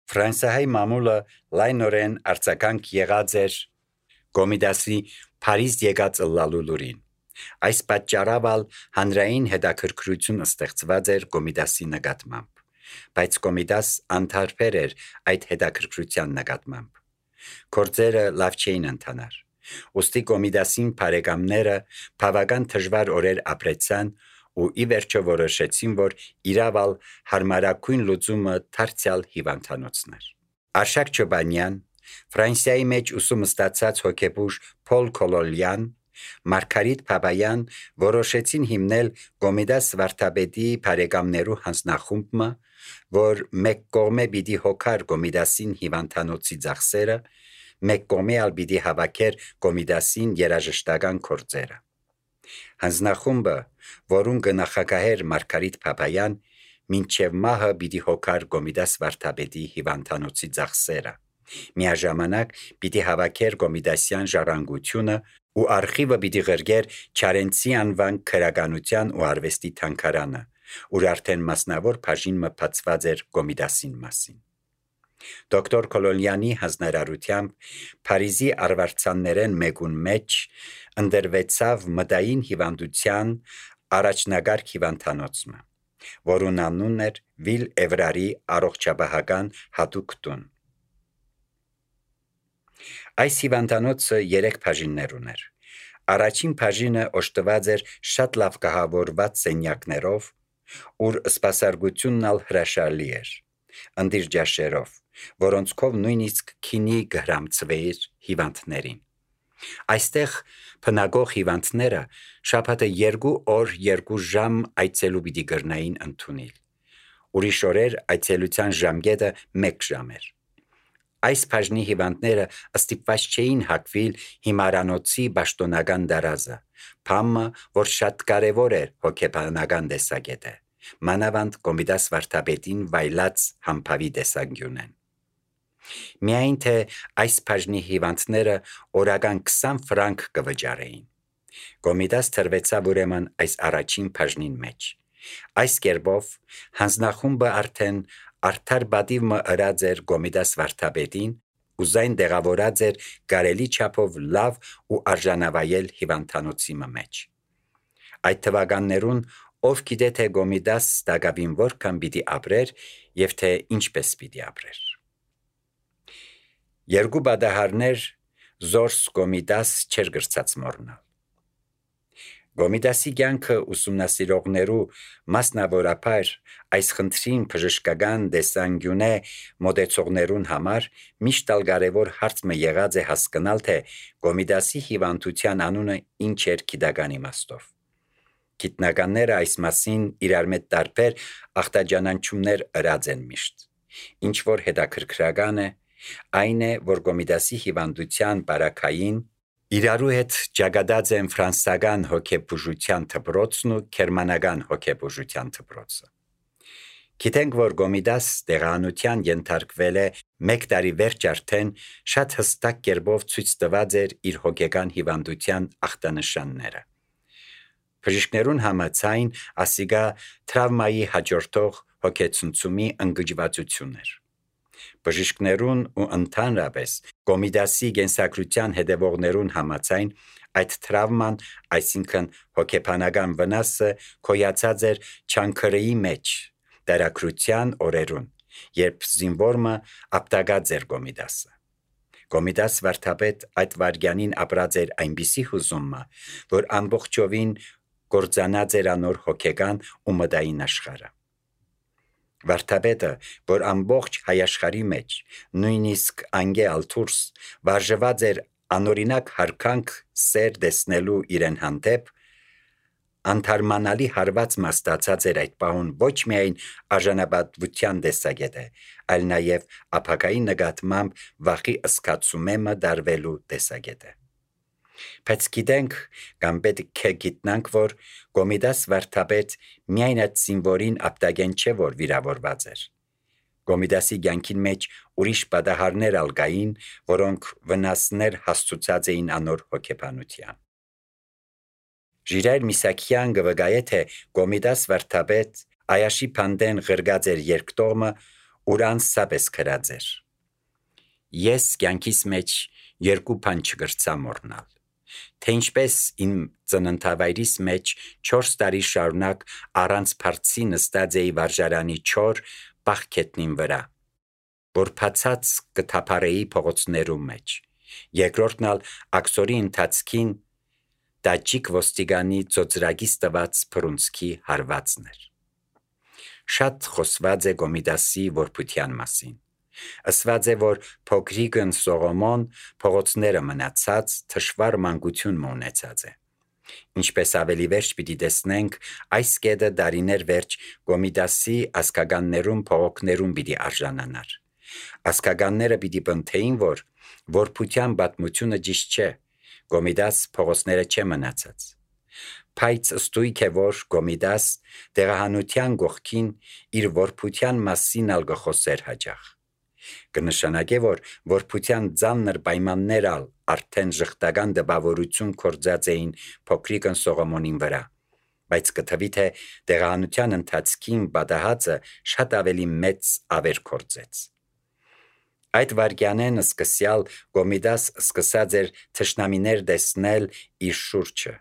Ֆրանսիայի մամուլը լայնորեն արձագանք եղած էր Կոմիդասի Փարիզ եկած ըլլալու լուրին։ Այս պատճառով հանրային հետաքրքրություն ստեղծված էր Կոմիդասի նկատմամբ, բայց Կոմիդաս անթարբեր էր այդ հետաքրքրության նկատմամբ։ Գործերը լավ չէին ընթանար։ Ուստի Կոմիդասին բարեկամները բավական դժվար օրեր ապրեցան ու ի վերջո որոշեցին, որ իրավալ հարմարակույն լուծումը դարձյալ հիվանդանոցն էր։ Արշակ Չոբանյան, Ֆրանսիայի մեջ ուսում ստացած հոգեբուժ Փոլ Կոլոլյան, Մարգարիտ Բաբայան որոշեցին հիմնել Կոմիդաս վարդապետի բարեկամներու հանձնախումբը, որ մեկ կողմե պիտի հոգար Կոմիդասին հիվանդանոցի ծախսերը, մեկ կողմե ալ պիտի հավաքեր Կոմիդասին երաժշտական գործերը։ Հանձնախումբը, որուն կնախագահեր Մարգարիտ Բաբայան, մինչև մահը պիտի հոգար Կոմիդաս վարդապետի հիվանդանոցի ծախսերը։ Միաժամանակ պիտի հավաքեր Կոմիդասյան ժառանգությունը ու արխիվը պիտի ղրգեր Չարենցի անվան քրականության ու արվեստի թանգարանը, ուր արդեն մասնավոր բաժին մփացված էր Կոմիդասին մասին։ Դոկտոր Կոլոլյանի հանձնարարությամբ Փարիզի արվարձաններեն մեկուն մեջ ընդրվեցավ մտային հիվանդության առաջնագարկ հիվանդանոցը, որուն անունն էր Վիլ Էվրարի առողջապահական հատուկ տուն։ Այս հիվանդանոցը 3 բաժիններ ուներ։ Առաջին բաժինը օժտված էր շատ լավ կահավորված սենյակներով, ուր սպասարկությունն ալ հրաշալի էր, ընտիր ջաշերով, որոնցքով նույնիսկ քինի գհրամցվեիր հիվանդներին։ Այստեղ բնակող հիվանդները շաբաթը 2 օր 2 ժամ այցելու պիտի գրնային ընդունել։ Ուրիշ օրեր այցելության ժամկետը 1 ժամ էր։ Այս բաժնի հիվանդները ստիպված չէին հագվել հիմարանոցի պաշտոնական դարազը, բամը, որ շատ կարևոր էր հոգեբանական տեսակետը, մանավանդ Կոմիդաս վարդապետին վայլած համբավի տեսանկյունեն։ Միայն թե այս բաժնի հիվանդները օրական 20 ֆրանկ կվճարեին։ Կոմիդաս թրվեցավ ուրեմն այս առաջին բաժնին մեջ։ Այս կերպով հանձնախումբը արդեն արդար պատիվը ըրած էր Կոմիդաս վարդապետին ու զայն դեղավորած էր կարելի չափով լավ ու արժանավայել հիվանդանոցի մեջ։ Այդ թվականներուն ով գիտե թե Կոմիդաս տակավին որքան պիտի ապրեր եւ թե ինչպես պիտի ապրեր։ Երկու բադահարներ զորս Կոմիդաս չեր գրծած մորնալ։ Կոմիդասի կյանքը ուսումնասիրողներու մասնավորապես այս խնդրին բժշկական տեսանկյունե մոտեցողներուն համար միշտ ալ կարևոր հարցը եղած է հասկանալ, թե Կոմիդասի հիվանդության անունը ինչ էր գիտական իմաստով։ Գիտնականները այս մասին իրար մեջ տարբեր ախտաջանանչումներ ըրած են միշտ։ Ինչ որ հետաքրքրական է, այն է, որ Կոմիդասի հիվանդության բարակային իրարու հետ ճակատած են ֆրանսական հոգեբուժության դպրոցն ու գերմանական հոգեբուժության դպրոցը։ Գիտենք, որ Կոմիդաս տեղանության ենթարկվել է 1 տարի վերջ արդեն շատ հստակ կերպով ցույց տված էր իր հոգեկան հիվանդության ախտանշանները։ Բժիշկներուն համաձայն ասիգա տրավմայի հաջորդող հոգեցնցումի ընկճվածություն էր։ Բժիշկներուն ու ընդհանրապես Կոմիդասի կենսագրության հետևողներուն համաձայն այդ տրավման, այսինքն հոգեբանական վնասը կոյացած էր չանքրեի մեջ, դարակրության օրերուն, երբ զինվորը ապտակած էր Կոմիդասը։ Կոմիդաս վարդապետ այդ վարյանին ապրած էր այնպիսի հուզումը, որ ամբողջովին կործանած էր անոր հոգեկան ու մտային աշխարհը։ Վարդապետը, որ ամբողջ հայաշխարհի մեջ, նույնիսկ անգեալ դուրս, վարժված էր անօրինակ հարկանք սեր տեսնելու իրեն հանդեպ, անթարմանալի հարված մաստացած էր այդ պահուն ոչ միայն արժանապատվության տեսակետը, այլ նաև ապակայի նկատմամբ վախի զգացումը դարվելու տեսակետը։ Բայց գիտենք կամ պետք է գիտնանք, որ Կոմիդաս վարդապետ միայն այդ զինվորին ապտակեն չէ, որ վիրավորված էր։ Կոմիդասի կյանքին մեջ ուրիշ պատահարներ ալ կային, որոնք վնասներ հասցուցած էին անոր հոգեբանության։ Ժիրայր Միսակյան կվկայե, թե Կոմիդաս վարդապետ Այաշի Փանդեն ղրգած էր երկտողմը ուրան սաբես քրած էր։ Ես կյանքիս մեջ երկու բան չգրցա մոռնալ, թե ինչպես իմ ծննդավայրիս մեջ 4 տարի շարունակ առանց փարցի նստած էի վարժարանի չոր պաղքետնին վրա, որ փացած կթափարեի փողոցներում մեջ, երկրորդն ալ աքսորի ընթացքին տաճիկ ոստիգանի ծոծրագիս տված փրունցքի հարվածն էր։ Շատ խոսված է Գոմիդասի որբության մասին։ Ասված է, որ փոքրիկն Սողոմոն փողոցները մնացած թշվառ մանկություն ունեցած է։ Ինչպես ավելի վերջ պիտի տեսնենք, այս կետը դարիներ վերջ Գոմիդասի ասկագաններում փողոքներում պիտի արժանանար։ Ասկագանները պիտի բնթեին, որ որբության պատմությունը ճիշտ չէ, Գոմիդաս փողոցները չէ մնացած։ Բայց ստույգ է, որ Գոմիդաս դեղահանության գողքին իր որբության մասին ալ գխոսեր հաջող։ Կնշանակե, որ որբության ծանր պայմաններ ալ արդեն ժխտական դպավորություն կործած էին փոքրիկն Սողոմոնին վրա, բայց կթվի թե դեղահանության ընթացքին պատահածը շատ ավելի մեծ ավեր կործեց։ Այդ վարքյանեն սկսյալ Գոմիդաս սկսած էր թշնամիներ տեսնել իր շուրջը։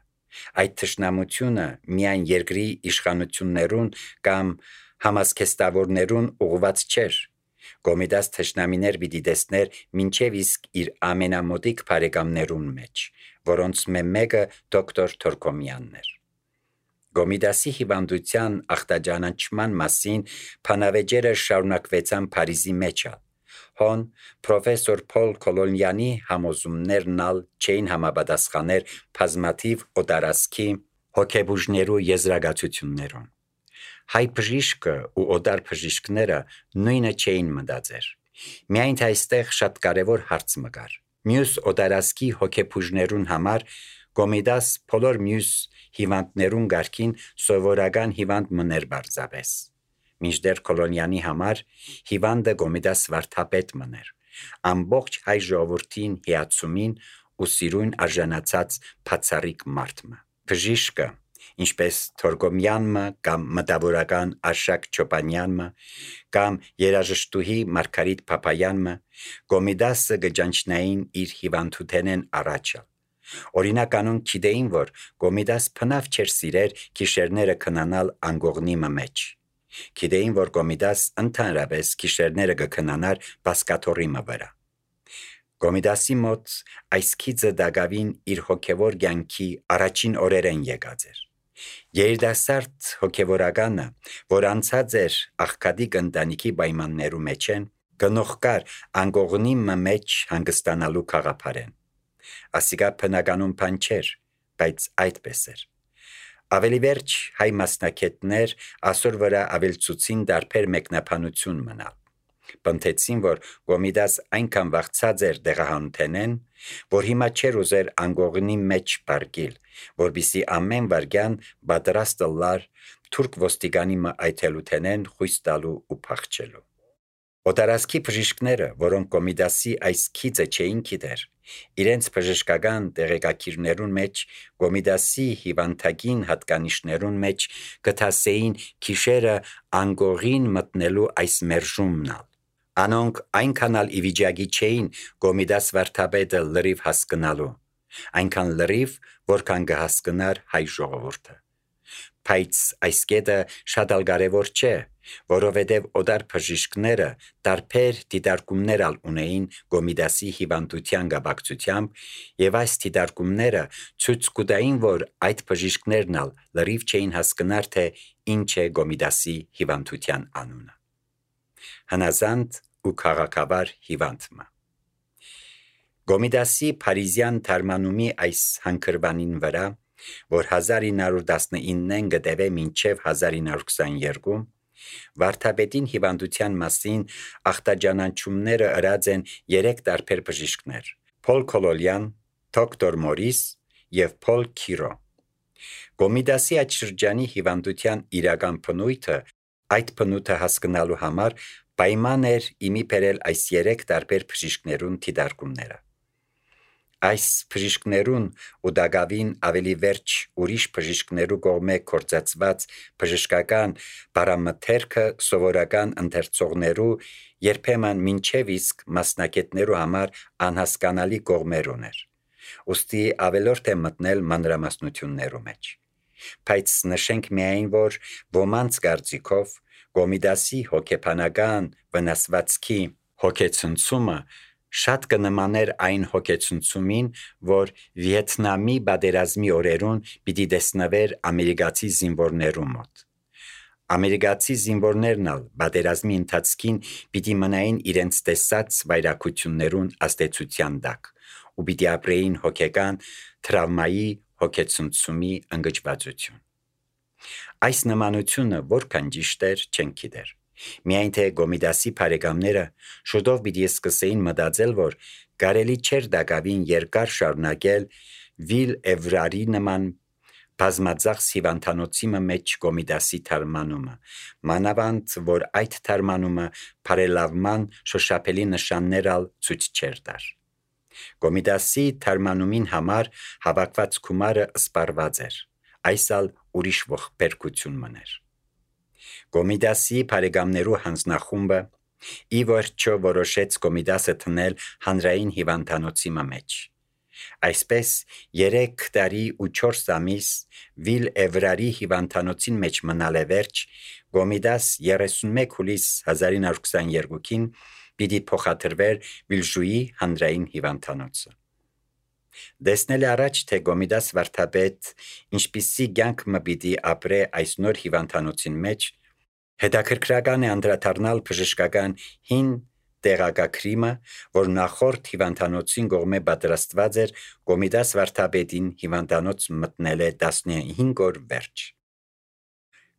Այդ թշնամությունը միայն երկրի իշխանություններուն կամ համազգեստավորներուն ուղված չէր։ Գոմիդաս թշնամիներ պիտի տեսներ մինչև իսկ իր ամենամոտիկ բարեկամներուն մեջ, որոնց մեկը դոկտոր Թորքոմյանն էր։ Գոմիդասի հիվանդության ախտաջանանչման մասին բանավեճերը շարունակվեցան Փարիզի մեջ ալ։ Հոն պրոֆեսոր Փոլ Կոլոնյանի համոզումներն ալ չէին համապատասխաներ բազմաթիվ օտարասքի հոգեբուժներու եզրակացություններուն։ Հայ բժիշկը ու օտար բժիշկները նույնը չէին մտածեր։ Միայն թե այստեղ շատ կարևոր հարց մը կար։ Մյուս օտարասքի հոգեբուժներուն համար Գոմիդաս բոլոր մյուս հիվանդներուն գարքին սովորական հիվանդ մներ բարձավես։ Մինչդեռ Կոլոնյանի համար հիվանդը Գոմիդաս վարդապետ մներ, ամբողջ հայ ժողովրդին հիացումին ու սիրուն արժանացած բացառիկ մարդ մը։ Բժիշկը, ինչպես Թորքոմյանը կամ մտավորական Արշակ Չոպանյանը կամ երաժշտուհի Մարգարիտ Փափայանը Գոմիդասը գճանչնային իր հիվանդութենեն առաջը։ Օրինակ անոնք գիտեին, որ Գոմիդաս փնավ չէր սիրեր գիշերները քնանալ անգողնի մեջ։ Գիտեին, որ Գոմիդաս ընդհանրապես գիշերները կքնանար բասկաթոռի վրա։ Գոմիդասի մոտ այս քիծը դակավին իր հոգևոր կյանքի առաջին օրերեն եկած էր։ Երիտասարդ հոգևորականը, որ անցած էր աղքատիկ ընտանիքի պայմաններու մեջ են, գնողկար անգողնի մեջ հանգստանալու խաղապարեն։ Ասիկա բնականում բան չէր, բայց այդպես էր։ Ավելի վերջ հայ մասնակետներ ասոր վրա ավելցուցին դարբեր մեկնաբանություն մնալ։ Բնթեցին, որ Գոմիդաս այնքան վախցած էր դեղահանութենեն, որ հիմա չէր ուզեր անգողնի մեջ պարկիլ, որբիսի ամեն վարգյան պատրաստ լար թուրք ոստիգանի այթելութենեն խույս տալու ու փախչելու։ Օտարասքի բժիշկները, որոնք Գոմիդասի այս քիծը չէին գիտեր, իրենց բժշկական տեղեկակիրներուն մեջ Գոմիդասի հիվանդագին հատկանիշներուն մեջ կթասեին քիշերը անգողին մտնելու այս մերժումն ալ։ Անոնք այնքան ալ ի վիճակի չէին Գոմիդաս վարդապետը լրիվ հասկնալու, այնքան լրիվ, որքան կհասկնար հայ ժողովուրդը։ Բայց այս կետը շատ ալ կարևոր չէ, որովհետև օտար բժիշկները տարբեր դիտարկումներ ալ ունեին Գոմիդասի հիվանդության կապակցությամբ, եւ այս դիտարկումները ցույց կտային, որ այդ բժիշկներն ալ լրիվ չէին հասկնար, թե ինչ է Գոմիդասի հիվանդության անունը։ Հնազանդ ու քաղաքավար հիվանդը։ Գոմիդասի Փարիզյան թարմանումի այս հանքրվանին վրա, որ 1919-ն գտևե մինչև 1922, վարդապետին հիվանդության մասին ախտաջանանչումները ըրած են 3 տարբեր բժիշկներ՝ Փոլ Կոլոնյան, դոկտոր Մորիս եւ Փոլ Քիրո։ Գոմիդասի այդ շրջանի հիվանդության իրական բնույթը, այդ բնույթը հասկանալու համար պայման էր իմի բերել այս 3 տարբեր բժիշկներուն դիտարկումները։ Այս բժիշկներուն ու դակավին ավելի վերջ ուրիշ բժիշկներու կողմէ կործածված բժշկական բարամթերքը սովորական ընթերցողներու երբեմն մինչև իսկ մասնակետներու համար անհասկանալի կողմեր ուներ։ Ուստի ավելորդ է մտնել մանրամասնություններու մեջ։ Բայց նշենք միայն, որ ոմանց կարծիքով Կոմիդասի հոգեբանական վնասվածքի հոգեցնցումը շատ կնմաներ այն հոգեցնցումին, որ Վիետնամի պատերազմի օրերուն պիտի տեսնվեր ամերիկացի զինվորներու մոտ։ Ամերիկացի զինվորներն ալ պատերազմի ընթացքին պիտի մնային իրենց տեսած վայրակություններուն ազդեցության տակ ու պիտի ապրեին հոգեկան տրավմայի հոգեցնցումի ընկճվածություն։ Այս նմանությունը որքան ճիշտ էր, չենք գիտեր։ Միայն թե Կոմիդասի բարեկամները շուտով պիտի սկսեին մտածել, որ կարելի չէր դակավին երկար շարունակել Վիլ Էվրարի նման բազմածախս հիվանդանոցի մեջ Կոմիդասի թարմանումը, մանավանդ որ այդ թարմանումը բարելավման շոշափելի նշաններ ալ ցույց չէր տար։ Կոմիդասի թարմանումին համար հավաքված գումարը սպառված էր, այս ալ ուրիշ ողբերգություն մներ։ Կոմիդասի բարեկամներու հանձնախումբը ի վերջո որոշեց Կոմիդասը թնել հանրային հիվանդանոցի մեջ։ Այսպես 3 տարի ու 4 ամիս Վիլ Էվրարի հիվանդանոցին մեջ մնալ է վերջ, Կոմիդաս 31 հուլիս 1922-ին պիտի փոխադրվեր Վիլժուի հանրային հիվանդանոցը։ Դեսնել է առաջ, թե Կոմիդաս վարդապետ ինչպիսի կյանք մը պիտի ապրե այս նոր հիվանդանոցին մեջ, հետաքրքրական է անդրադառնալ բժշկական հին տեղեկագրիմը, որ նախորդ հիվանդանոցին կողմէ պատրաստված էր Կոմիդաս վարդապետին հիվանդանոց մտնել է 15 օր վերջ։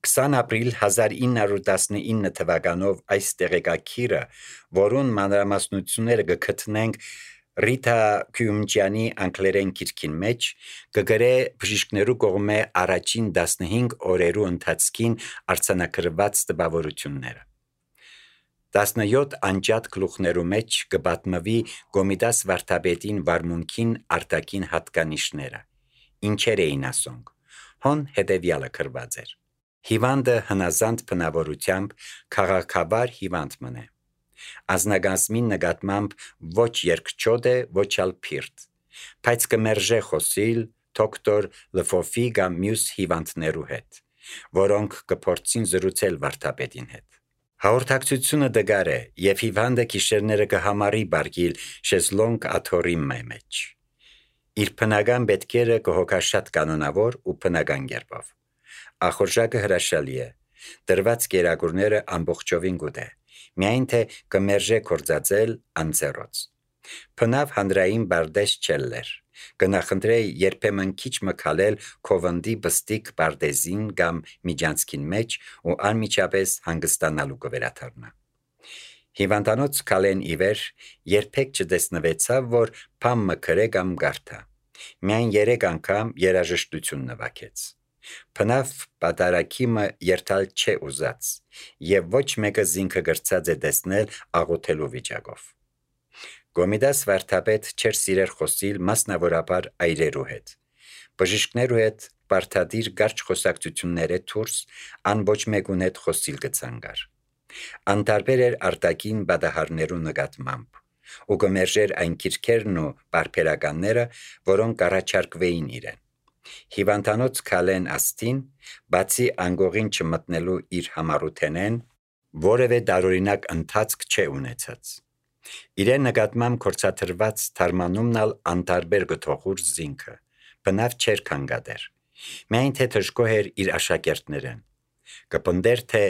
20 ապրիլ 1919 թվականով այս տեղեկագիրը, որուն մանրամասնությունները կգտնենք Ռիտա Քյումջյանի անգլերեն գիրքին մեջ, կգրե բժիշկներու կողմէ առաջին 15 օրերու ընթացքին արձանագրված տպավորությունները։ 17 անջատ գլուխներու մեջ կպատմվի Կոմիդաս վարդապետին վարմունքին արտաքին հատկանիշները։ Ինչեր էին ասոնք։ Հոն հետևյալը գրված էր. Հիվանդը հնազանդ բնավորությամբ քաղաքավար հիվանդ մնե։ Ազնագազմին նկատմամբ ոչ երկչոտ է, ոչ ալ փիրտ, բայց կմերժե խոսիլ դոկտոր Լֆոֆի կամ մյուս հիվանդներու հետ, որոնք կփորձին զրուցել վարդապետին հետ։ Հաղորդակցությունը դգար է, եւ հիվանդը գիշերները կհամարի բարգիլ շեզլոնգ աթոռի մեջ։ Իր բնական պետքերը կհոգաշատ կանոնավոր ու բնական կերպով։ Ախորժակը հրաշալի է, դրված կերակուրները ամբողջովին գուտ է, միայն թե կմերժե կործածել անձեռոց։ Բնավ հանրային բարդես չելլեր, կնախնդրե երբեմն քիչ մկալել քովնդի բստիկ բարդեզին կամ միջանցքին մեջ ու անմիջապես հանգստանալու կվերաթարնա։ Հիվանդանոց կալեն իվեր երբեք չտեսնվեցավ, որ փամ մկրե կամ գարթա։ Միայն 3 անգամ երաժշտություն նվագեց։ Բնավ պատարակիմը երթալ չէ ուզած, եւ ոչ մեկը զինքը գրծած է տեսնել աղոթելու վիճակով։ Կոմիդաս վարդապետ չէր սիրեր խոսիլ մասնավորաբար այրերու հետ։ Բժիշկներու հետ բարդադիր կարճ խոսակցությունները դուրս ան ոչ մեկուն հետ խոսիլ կցանգար։ Անտարբեր էր արտաքին բադահարներու նկատմամբ ու կմերժեր այն քիրքերն ու բարբերականները, որոնք առաջարկվեին իրեն։ Հիվանդանոց կալեն աստին, բացի անգողին չմտնելու իր համառութենեն, որևէ տարօրինակ ընթացք չէ ունեցած։ Իրեն նկատմամբ կործաթրված թարմանումն ալ անտարբեր գթողուր զինքը, բնավ չէր կանգադեր, միայն թե թշկոհ էր իր աշակերտներեն։ Կպնդեր, թե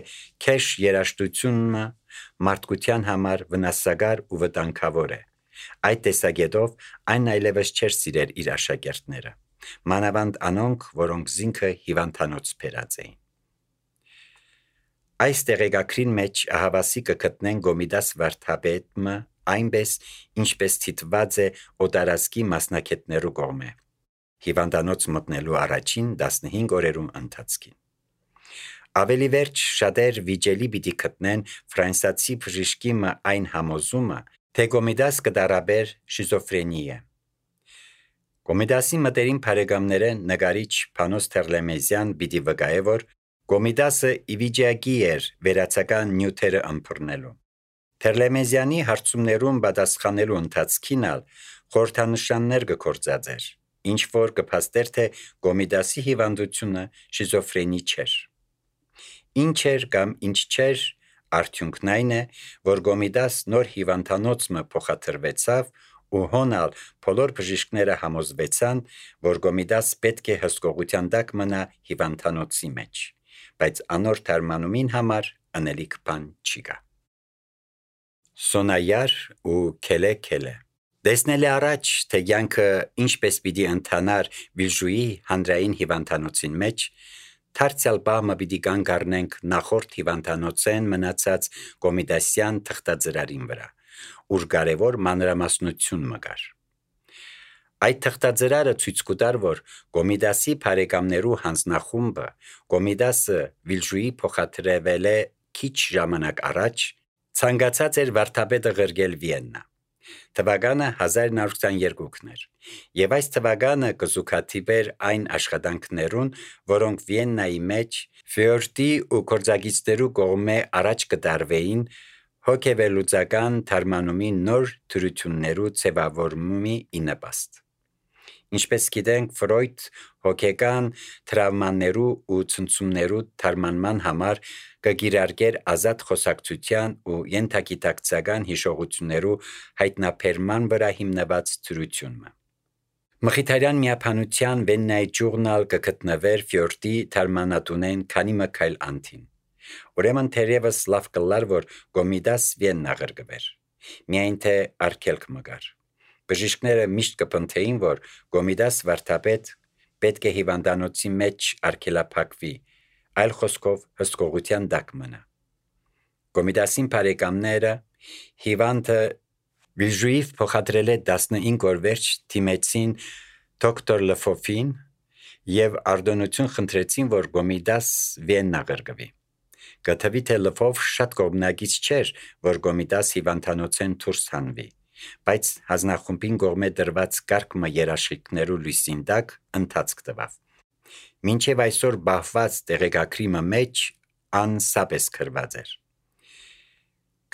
քեշ երաշտությունը մարդկության համար վնասակար ու վտանգավոր է։ Այդ տեսակետով այն այլևս չէր սիրեր իր աշակերտները, մանավանդ անոնք, որոնք զինքը հիվանդանոց բերած էին։ Այս տեղեկագրին մեջ ահավասի կգտնեն Կոմիդաս վարդապետը այնպես, ինչպես թիտված է օտարազգի մասնակետներու կողմէ հիվանդանոց մտնելու առաջին 15 օրերու ընթացքին։ Ավելի վերջ շատեր վիճելի պիտի գտնեն ֆրանսիացի բժշկի այն համոզումը, թե Կոմիդաս կդարաբեր շիզոֆրենիա։ Կոմիդասի մտերիմ բարեկամները նկարիչ Փանոս Թերլեմեզյան պիտի վկայե, որ Կոմիդասը իվիճակի էր վերացական նյութերը ըմբռնելու։ Թերլեմեզյանի հարցումներուն պատասխանելու ընթացքին խորհրդանշաններ կգործածեր, ինչ որ կփաստեր, թե Կոմիդասի հիվանդությունը շիզոֆրենի չէր։ Ինչ էր կամ ինչ չէր, արդյունքն այն է, որ Կոմիդաս նոր հիվանդանոցը փոխադրվեցավ ու հոնալ բոլոր բժիշկները համոզվեցան, որ Կոմիդաս պետք է հսկողության տակ մնա հիվանդանոցի մեջ, բայց անոր թարմանումին համար անելիք բան չի կա։ Սոնայար ու քելե Տեսնել է առաջ, թե կյանքը ինչպես պիտի ընթանար Վիլժուի հանրային հիվանդանոցին մեջ, դարձյալ բամը պիտի կանգ առնենք նախորդ հիվանդանոցեն մնացած Կոմիդասյան թղթաձրարին վրա, ուր կարևոր մանրամասնություն մկար։ Այդ թղթաձրարը ցույց կտար, որ Կոմիդասի բարեկամներու հանձնախումբը Կոմիդասը Վիլժուի փոխադրվել է քիչ ժամանակ առաջ, ցանկացած էր վարդապետը ղրգել Վիեննա։ Թվականը 1922-ն էր, եւ այս թվականը կզուգադիպեր այն աշխատանքներուն, որոնք Վիեննայի մեջ Ֆյորդի ու կորձագիծներու կողմէ առաջ կդարվեին հոգեվերլուծական թարմանումի նոր թրություններու ձևավորումի ինպաստ։ Ինչպես գիտենք, Ֆրոյդ հոգեկան տրավմաներու ու ցնցումներու թարմանման համար կգիրարկեր ազատ խոսակցության ու ենթագիտակցական հիշողություններու հայտնաբերման վրա հիմնված թրությունը։ Մխիթարյան միապանության Վեննայի ջուրնալ կգտնվեր Ֆյորդի թարմանատունեն քանի մքայլ անտին։ Ուրեմն թերևս լավ կլար, որ Կոմիդաս Վիեննա ղրկվեր, միայն թե արգելք մգար։ Բժիշկները միշտ կփնթեին, որ Կոմիդաս վարդապետ պետք է հիվանդանոցի մեջ արգելափակվի, այլ խոսքով հսկողության տակ մնա։ Կոմիդասին բարեկամները հիվանդը Վիլժուիվ փոխադրել է 15 օր վերջ թիմեցին դոկտոր Լեֆոֆին եւ արտոնություն խնդրեցին, որ Կոմիդաս Վիեննա ղրկվի։ Գտվի թե Լեֆով շատ կողմնակից չէր, որ Կոմիդաս հիվանդանոցեն դուրս հանվի, բայց հանձնախումբին կողմէ դրված կարգը երաշխիքներու լույսին տակ ընթացք տվավ։ Մինչև այսօր բահված տեղեկագրի մեջ անսապես գրված էր։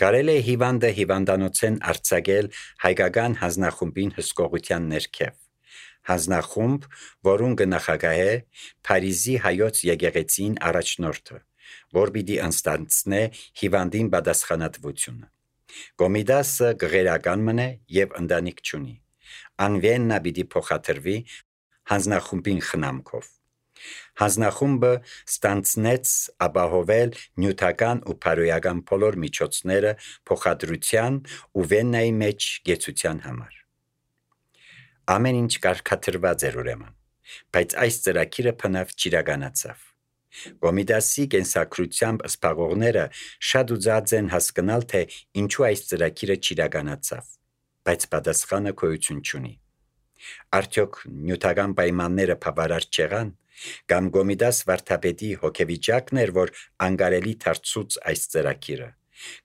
Կարել է հիվանդը հիվանդանոցեն արձակել հայկական հանձնախումբին հսկողության ներքև։ Հանձնախումբ, որուն կնախագահե Փարիզի հայոց եկեղեցին առաջնորդը, որ պիտի անստանցնե հիվանդին պատասխանատվությունը։ Կոմիդասը գղերական մնե եւ ընտանիք չունի։ Ան Վիեննա պիտի փոխադրվի հանձնախումբին խնամքով։ Հանձնախումբը ստանցնեց ապահովել նյութական ու բարոյական բոլոր միջոցները փոխադրության ու Վիեննայի մեջ գեցության համար։ Ամեն ինչ կարգադրված էր ուրեմն, բայց այս ծրագիրը բնավ չիրականացավ։ Կոմիդասի կենսակրությամբ սպաղողները շատ ուզած են հասկանալ, թե ինչու այս ծրագիրը չիրականացավ, բայց պատասխանը գոյություն չունի։ Արդյոք նյութական պայմանները բավարար չեղան, կամ Կոմիդաս վարդապետի հոգեվիճակն էր, որ անկարելի դարձուց այս ծրագիրը,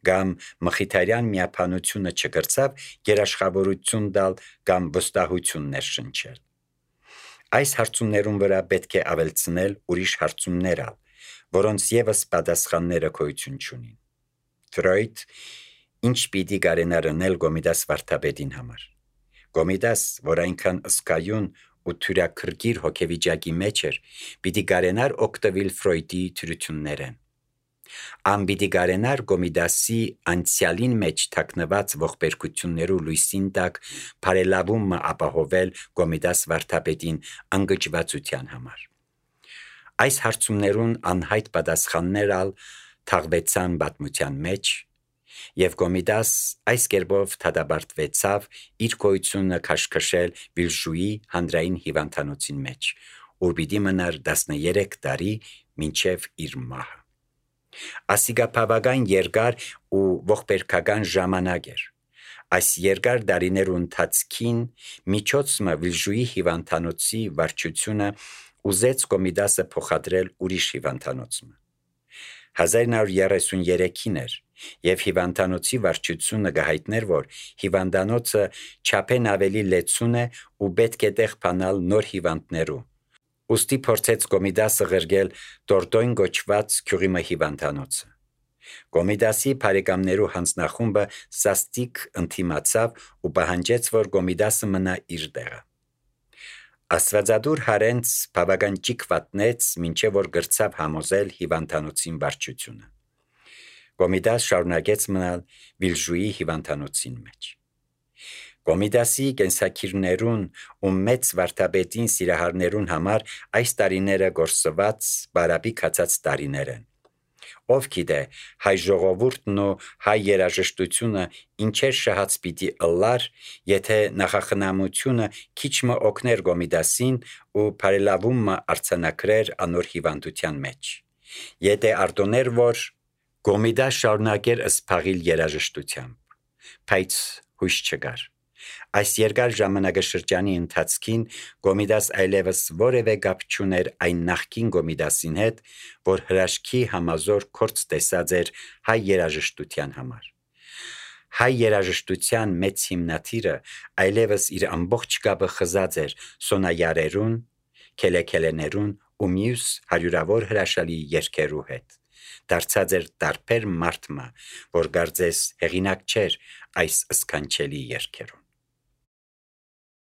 կամ Մխիթարյան միապանությունը չկրծավ երաշխավորություն տալ կամ վստահություն ներշնչել։ Այս հարցումներուն վրա պետք է ավելցնել ուրիշ հարցումներ, որոնց եւս պատասխանները գոյություն չունին։ Ֆրոյդ ինչ պիտի կարենար անել Կոմիդաս վարդապետին համար։ Կոմիդաս, որ այնքան ըսկայուն ու թյուրաքրքիր հոգեվիճակի մեջ էր, պիտի կարենար օգտվել Ֆրոյդի թյուրություններեն։ Ան պիտի կարենար Կոմիդասի անցյալին մեջ թաքնված ողբերգություններու լույսին տակ բարելավումը ապահովել Կոմիդաս վարդապետին անգճվածության համար։ Այս հարցումներուն անհայտ պատասխաններ թաղվեցան պատմության մեջ, եւ Կոմիդաս այս կերպով դատապարտվեցավ իր գոյությունը քաշքշել Վիլժուի հանրային հիվանդանոցին մեջ, ուր պիտի մնար 13 տարի մինչև իր մահը։ Ասիկա բավական երկար ու ողբերգական ժամանակ էր։ Այս երկար տարիներու ընթացքին միջոցը Վիլժուի հիվանդանոցի վարչությունը ուզեց Կոմիդասը փոխադրել ուրիշ հիվանդանոցը։ 1933-ին էր, Եվ հիվանդանոցի վարչությունը գահիթներ, որ հիվանդանոցը չափեն ավելի լեցուն է ու պետք է տեղ փանալ նոր հիվանդներու։ Ուստի փորձեց Կոմիդասը ղրգել Տորտոյն գոչված քյուրիմը հիվանդանոցը։ Կոմիդասի բարեկամներու հանձնախումբը սաստիկ ընդդիմացավ ու պահանջեց, որ Կոմիդասը մնա իր տեղը։ Աստվածադուր Հարենց բավական ճիք վատնեց, մինչև որ գրծավ համոզել հիվանդանոցին վարչությունը։ Կոմիդաս շարունակեց մնալ Վիլժուի հիվանդանոցին մեջ։ Կոմիդասի կենսակիրներուն ու մեծ վարդապետին սիրահարներուն համար այս տարիները գործված բարապի կացած տարիներ են։ Ով գիտե, հայ ժողովուրդն ու հայ երաժշտությունը ինչեր շահած պիտի ըլլար, եթե նախախնամությունը քիչ մը օգներ Կոմիդասին ու բարելավումը արձանագրեր անոր հիվանդության մեջ։ Եթե արտոներ, որ Կոմիդաս շարունակեր սփաղիլ երաժշտությամբ, բայց հույս չկար։ Այս երկար ժամանակաշրջանի ընթացքին Կոմիդաս այլևս որևէ կապ չուներ այն նախկին Կոմիդասին հետ, որ հրաշքի համազոր կորց տեսած էր հայ երաժշտության համար։ Հայ երաժշտության մեծ հիմնադիրը այլևս իր ամբողջ կապը խզած էր սոնայարերուն, քելեքելեներուն ու մյուս հարյուրավոր հրաշալի երգերու հետ։ Դարձած էր տարբեր մարդմը, որ գարձես հեղինակ չէր այս սքանչելի երգերուն։